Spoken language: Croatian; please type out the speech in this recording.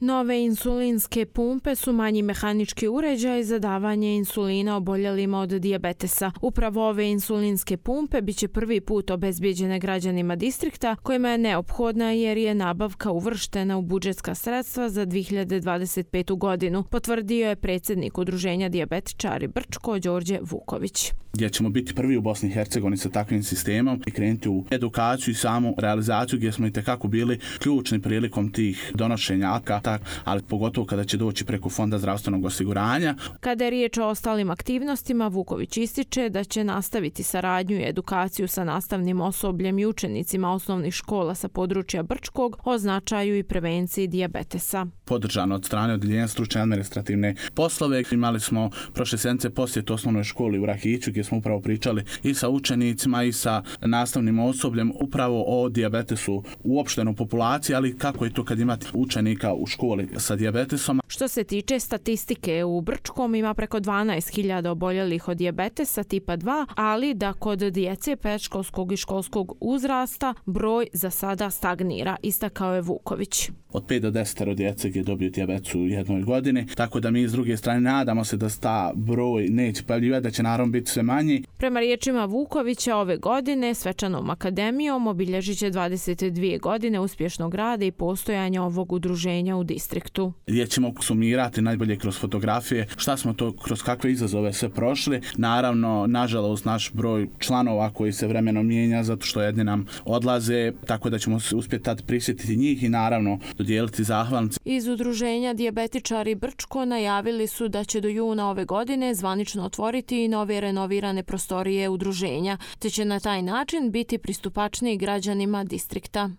Nove insulinske pumpe su manji mehanički uređaj za davanje insulina oboljelima od dijabetesa. Upravo ove insulinske pumpe bit će prvi put obezbijeđene građanima distrikta kojima je neophodna jer je nabavka uvrštena u budžetska sredstva za 2025. godinu, potvrdio je predsjednik Udruženja dijabetičari Brčko Đorđe Vuković. Gdje ćemo biti prvi u Bosni i Hercegovini sa takvim sistemom i krenuti u edukaciju i samu realizaciju gdje smo itekako bili ključni prilikom tih donošenja akata, ali pogotovo kada će doći preko Fonda zdravstvenog osiguranja. Kada je riječ o ostalim aktivnostima, Vuković ističe da će nastaviti saradnju i edukaciju sa nastavnim osobljem i učenicima osnovnih škola sa područja Brčkog o značaju i prevenciji dijabetesa. Podržano od strane Odjeljenja stručne administrativne poslove. Imali smo prošle sedmice posjet osnovnoj školi u Rahiću gdje smo upravo pričali i sa učenicima i sa nastavnim osobljem upravo o dijabetesu uopšteno u populaciji, ali kako je to kad imate učenika u školi sa dijabetesom. Što se tiče statistike, u Brčkom ima preko 12.000 oboljelih od dijabetesa tipa 2, ali da kod djece predškolskog i školskog uzrasta broj za sada stagnira, istakao je Vuković. Od 5 do 10 djece gdje dobiju dijabetes u jednoj godini, tako da mi s druge strane nadamo se da ta broj neće pojavljivati, da će naravno biti sve manji. Prema riječima Vukovića, ove godine svečanom akademijom obilježit će 22 godine uspješnog rada i postojanja ovog udruženja u distriktu. Gdje ćemo sumirati najbolje kroz fotografije šta smo to, kroz kakve izazove sve prošli. Naravno, nažalost, naš broj članova koji se vremenom mijenja zato što jedni nam odlaze, tako da ćemo se uspjeti tad prisjetiti njih i naravno dodijeliti zahvalnice. Iz Udruženja dijabetičari Brčko najavili su da će do juna ove godine zvanično otvoriti i nove renovirane prostorije udruženja, te će na taj način biti pristupačniji građanima distrikta.